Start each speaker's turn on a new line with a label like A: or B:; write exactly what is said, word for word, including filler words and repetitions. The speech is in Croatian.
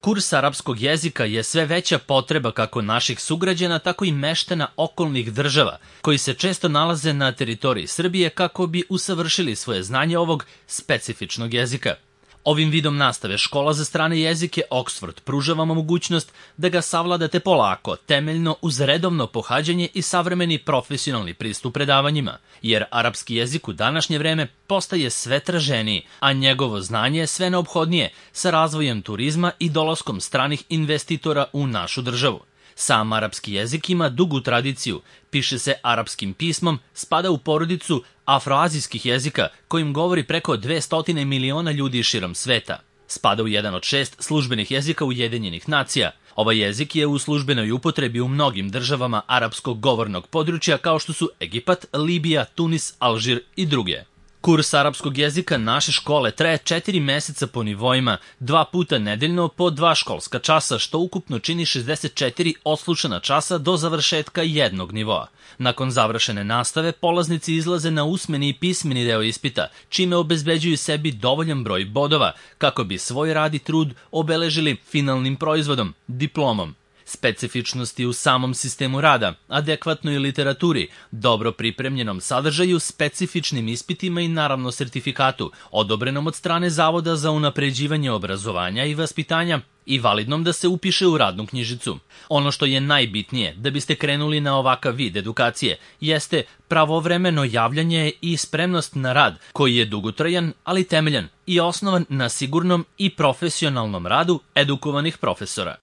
A: Kurs arapskog jezika je sve veća potreba kako naših sugrađana, tako i meštana okolnih država, koji se često nalaze na teritoriji Srbije kako bi usavršili svoje znanje ovog specifičnog jezika. Ovim vidom nastave Škola za strane jezike Oxford pruža vam mogućnost da ga savladate polako, temeljno uz redovno pohađanje i savremeni profesionalni pristup predavanjima, jer arapski jezik u današnje vreme postaje sve traženiji, a njegovo znanje je sve neophodnije sa razvojem turizma i dolaskom stranih investitora u našu državu. Sam arapski jezik ima dugu tradiciju, piše se arapskim pismom, spada u porodicu afroazijskih jezika kojim govori preko dvesta miliona ljudi širom sveta. Spada u jedan od šest službenih jezika Ujedinjenih nacija. Ovaj jezik je u službenoj upotrebi u mnogim državama arapskog govornog područja kao što su Egipat, Libija, Tunis, Alžir i druge. Kurs arapskog jezika naše škole traje četiri meseca po nivoima, dva puta nedeljno po dva školska časa, što ukupno čini šezdeset četiri odslušana časa do završetka jednog nivoa. Nakon završene nastave, polaznici izlaze na usmeni i pismeni deo ispita, čime obezbeđuju sebi dovoljan broj bodova, kako bi svoj rad i trud obeležili finalnim proizvodom, diplomom. Specifičnosti u samom sistemu rada, adekvatnoj literaturi, dobro pripremljenom sadržaju, specifičnim ispitima i naravno sertifikatu, odobrenom od strane Zavoda za unapređivanje obrazovanja i vaspitanja i validnom da se upiše u radnu knjižicu. Ono što je najbitnije da biste krenuli na ovakav vid edukacije jeste pravovremeno javljanje i spremnost na rad koji je dugotrajan, ali temeljan i osnovan na sigurnom i profesionalnom radu edukovanih profesora.